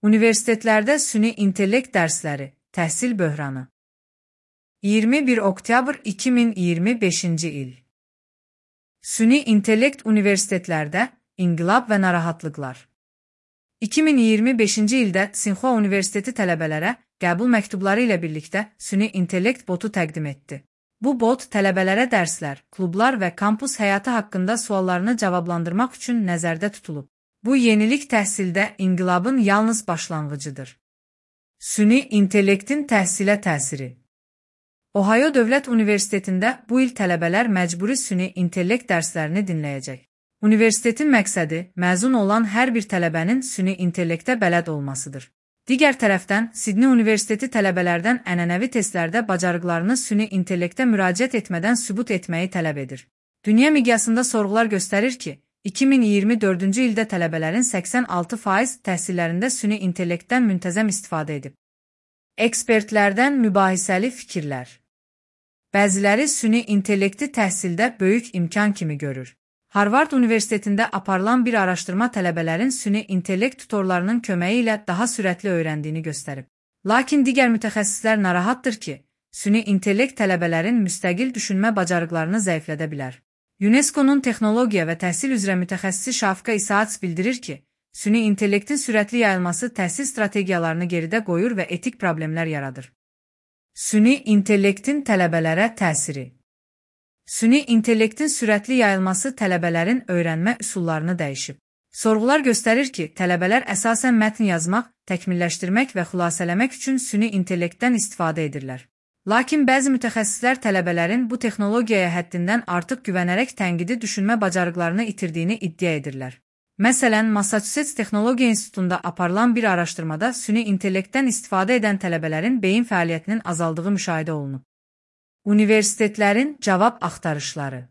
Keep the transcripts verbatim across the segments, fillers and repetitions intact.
Universitetlərdə süni intellekt dərsləri, təhsil böhranı. iyirmi bir oktyabr iki min iyirmi beşinci il. Süni intellekt universitetlərdə inqilab və narahatlıqlar. iki min iyirmi beşinci ildə Tsinghua Universiteti tələbələrə qəbul məktubları ilə birlikdə süni intellekt botu təqdim etdi. Bu bot tələbələrə dərslər, klublar və kampus həyatı haqqında suallarını cavablandırmaq üçün nəzərdə tutulub. Bu yenilik təhsildə inqilabın yalnız başlanğıcıdır. Süni intellektin təhsilə təsiri. Ohio Dövlət Universitetində bu il tələbələr məcburi süni intellekt dərslərini dinləyəcək. Universitetin məqsədi məzun olan hər bir tələbənin süni intellektə bələd olmasıdır. Digər tərəfdən, Sidney Universiteti tələbələrdən ənənəvi testlərdə bacarıqlarını süni intellektə müraciət etmədən sübut etməyi tələb edir. Dünya miqyasında sorğular göstərir ki, iki min iyirmi dördüncü ildə tələbələrin səksən altı faiz təhsillərində süni intellektdən müntəzəm istifadə edib. Ekspertlərdən mübahisəli fikirlər. Bəziləri süni intellekti təhsildə böyük imkan kimi görür. Harvard Universitetində aparılan bir araşdırma tələbələrin süni intellekt tutorlarının köməyi ilə daha sürətli öyrəndiyini göstərib. Lakin digər mütəxəssislər narahatdır ki, süni intellekt tələbələrin müstəqil düşünmə bacarıqlarını zəiflədə bilər. UNESCO-nun texnologiya və təhsil üzrə mütəxəssisi Şafika İsaats bildirir ki, süni intellektin sürətli yayılması təhsil strategiyalarını geridə qoyur və etik problemlər yaradır. Süni intellektin tələbələrə təsiri. Süni intellektin sürətli yayılması tələbələrin öyrənmə üsullarını dəyişib. Sorğular göstərir ki, tələbələr əsasən mətn yazmaq, təkmilləşdirmək və xülasələmək üçün süni intellektdən istifadə edirlər. Lakin bəzi mütəxəssislər tələbələrin bu texnologiyaya həddindən artıq güvənərək tənqidi düşünmə bacarıqlarını itirdiyini iddia edirlər. Məsələn, Massachusetts Texnologiya İnstitutunda aparılan bir araşdırmada süni intellektdən istifadə edən tələbələrin beyin fəaliyyətinin azaldığı müşahidə olunub. Universitetlərin cavab axtarışları.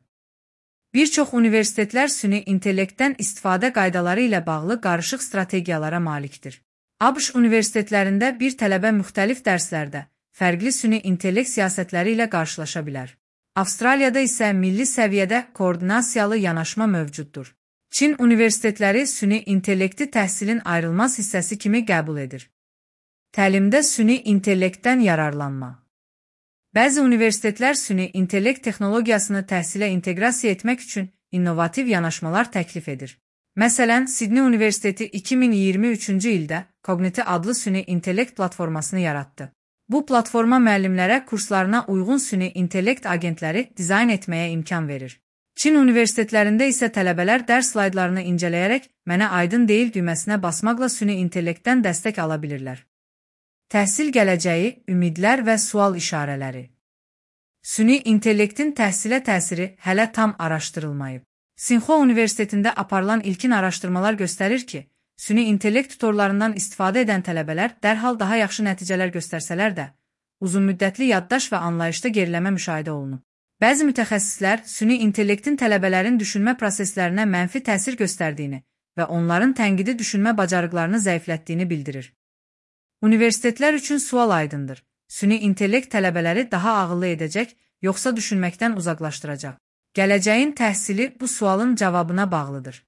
Bir çox universitetlər süni intellektdən istifadə qaydaları ilə bağlı qarışıq strategiyalara malikdir. ABŞ universitetlərində bir tələbə müxtəlif dərslərdə fərqli süni intellekt siyasətləri ilə qarşılaşa bilər. Avstraliyada isə milli səviyyədə koordinasiyalı yanaşma mövcuddur. Çin universitetləri süni intellekti təhsilin ayrılmaz hissəsi kimi qəbul edir. Təlimdə süni intellektdən yararlanma. Bəzi universitetlər süni intellekt texnologiyasını təhsilə inteqrasiya etmək üçün innovativ yanaşmalar təklif edir. Məsələn, Sidney Universiteti iki min iyirmi üçüncü ildə Cogniti adlı süni intellekt platformasını yaratdı. Bu platforma müəllimlərə kurslarına uyğun süni intellekt agentləri dizayn etməyə imkan verir. Çin universitetlərində isə tələbələr dərs slaydlarını incələyərək mənə aydın deyil düyməsinə basmaqla süni intellektdən dəstək ala bilirlər. Təhsil gələcəyi, ümidlər və sual işarələri. Süni intellektin təhsilə təsiri hələ tam araşdırılmayıb. Tsinghua Universitetində aparılan ilkin araşdırmalar göstərir ki, süni intellekt tutorlarından istifadə edən tələbələr dərhal daha yaxşı nəticələr göstərsələr də, uzunmüddətli yaddaş və anlayışda geriləmə müşahidə olunub. Bəzi mütəxəssislər süni intellektin tələbələrin düşünmə proseslərinə mənfi təsir göstərdiyini və onların tənqidi düşünmə bacarıqlarını zəiflətdiyini bildirir. Universitetlər üçün sual aydındır. Süni intellekt tələbələri daha ağıllı edəcək, yoxsa düşünməkdən uzaqlaşdıracaq? Gələcəyin təhsili bu sualın cavabına bağlıdır.